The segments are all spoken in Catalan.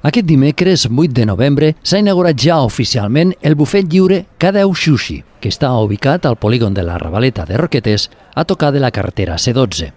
Aquest dimecres, 8 de novembre, s'ha inaugurat ja oficialment el bufet lliure K10 Sushi, que està ubicat al polígon de la Ravaleta de Roquetes, a tocar de la carretera C12.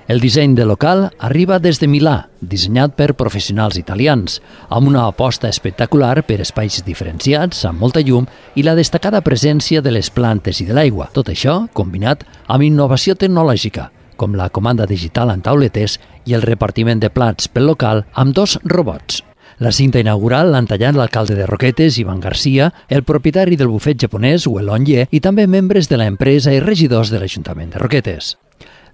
El disseny del local arriba des de Milà, dissenyat per professionals italians, amb una aposta espectacular per espais diferenciats, amb molta llum i la destacada presència de les plantes i de l'aigua. Tot això combinat amb innovació tecnològica, com la comanda digital en tauletes i el repartiment de plats pel local amb 2 robots. La cinta inaugural l'han tallat l'alcalde de Roquetes, Ivan Garcia, el propietari del bufet japonès, Welon Ye, i també membres de l'empresa i regidors de l'Ajuntament de Roquetes.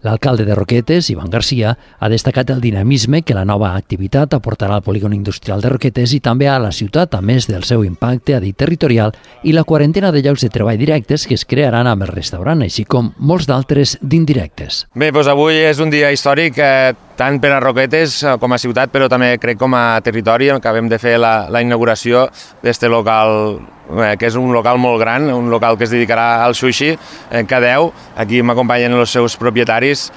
L'alcalde de Roquetes, Ivan Garcia, ha destacat el dinamisme que la nova activitat aportarà al polígon industrial de Roquetes i també a la ciutat, a més del seu impacte, ha dit, territorial i la quarantena de llocs de treball directes que es crearan amb el restaurant, així com molts d'altres d'indirectes. Bé, doncs avui és un dia històric, tant per a Roquetes com a ciutat, però també crec com a territori. Acabem de fer la inauguració d'este local, que és un local molt gran, un local que es dedicarà al sushi, K10. Aquí m'acompanyen els seus propietaris.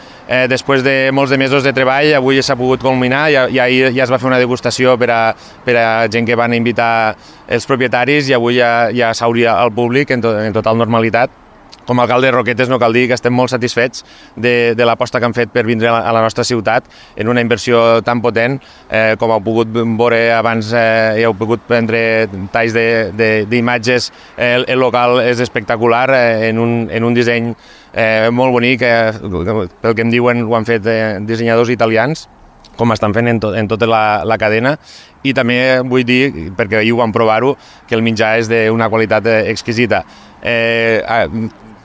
Després de molts de mesos de treball, avui s'ha pogut culminar, i ahir ja es va fer una degustació per a gent que van invitar els propietaris, i avui ja s'obria al públic en total normalitat. Com a alcalde de Roquetes no cal dir que estem molt satisfets de l'aposta que han fet per vindre a la nostra ciutat en una inversió tan potent. Com heu pogut veure abans, heu pogut prendre talls d'imatges. El local és espectacular, en un disseny molt bonic, pel que em diuen ho han fet dissenyadors italians, com estan fent en tota la cadena. I també vull dir, perquè ahir ho vam provar-ho, que el menjar és d'una qualitat exquisita.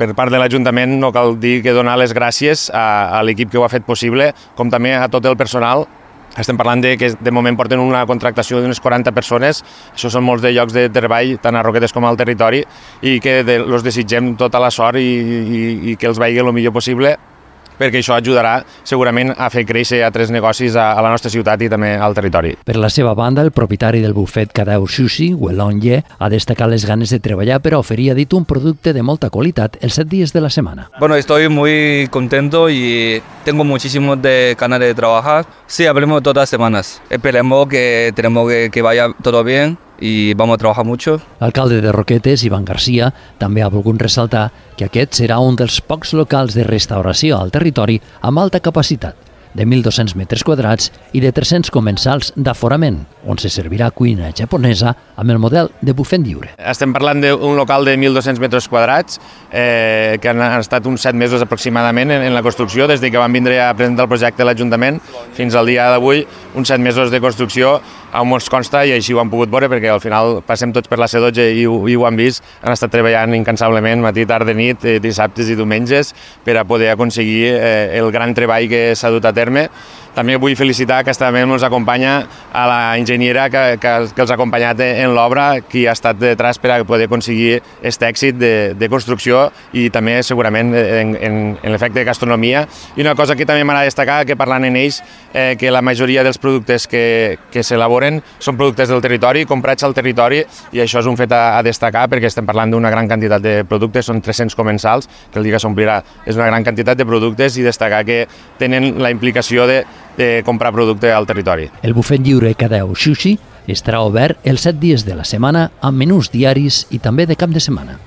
Per part de l'Ajuntament no cal dir que donar les gràcies a l'equip que ho ha fet possible, com també a tot el personal. Estem parlant que de moment porten una contractació d'unes 40 persones, això són molts de llocs de treball, tant a Roquetes com al territori, i que els desitgem tota la sort i que els vagi el millor possible, perquè això ajudarà segurament a fer créixer altres negocis a la nostra ciutat i també al territori. Per la seva banda, el propietari del bufet K10 Sushi, Welon Ye, ha destacat les ganes de treballar per a oferir, ha dit, un producte de molta qualitat els 7 dies de la semana. Bueno, estoy muy contento y tengo muchísimo de ganas de trabajar. Sí, hablemos todas las semanas. Esperemos que vaya todo bien i vamos a trabajar mucho. L'alcalde de Roquetes, Ivan Garcia, també ha volgut ressaltar que aquest serà un dels pocs locals de restauració al territori amb alta capacitat, de 1.200 metres quadrats i de 300 comensals d'aforament, on se servirà cuina japonesa amb el model de bufet lliure. Estem parlant d'un local de 1.200 metres quadrats, que han estat uns 7 mesos aproximadament en la construcció, des que van vindre a presentar el projecte a l'Ajuntament fins al dia d'avui, uns 7 mesos de construcció, on ens consta, i així ho han pogut veure, perquè al final passem tots per la C12 i ho han vist, han estat treballant incansablement matí, tarda, nit, dissabtes i diumenges, per a poder aconseguir el gran treball que s'ha dut a terme. També vull felicitar que també ens acompanya a la enginyera que els ha acompanyat en l'obra, qui ha estat detrás per a poder aconseguir aquest èxit de construcció i també segurament en l'efecte de gastronomia. I una cosa que també m'agrada destacar, que parlant en ells, que la majoria dels productes que s'elaboren són productes del territori, comprats al territori, i això és un fet a destacar perquè estem parlant d'una gran quantitat de productes, són 300 comensals, que el dia que s'omplirà és una gran quantitat de productes, i destacar que tenen la implicació de comprar producte al territori. El bufet lliure K10 Sushi estarà obert els 7 dies de la setmana amb menús diaris i també de cap de setmana.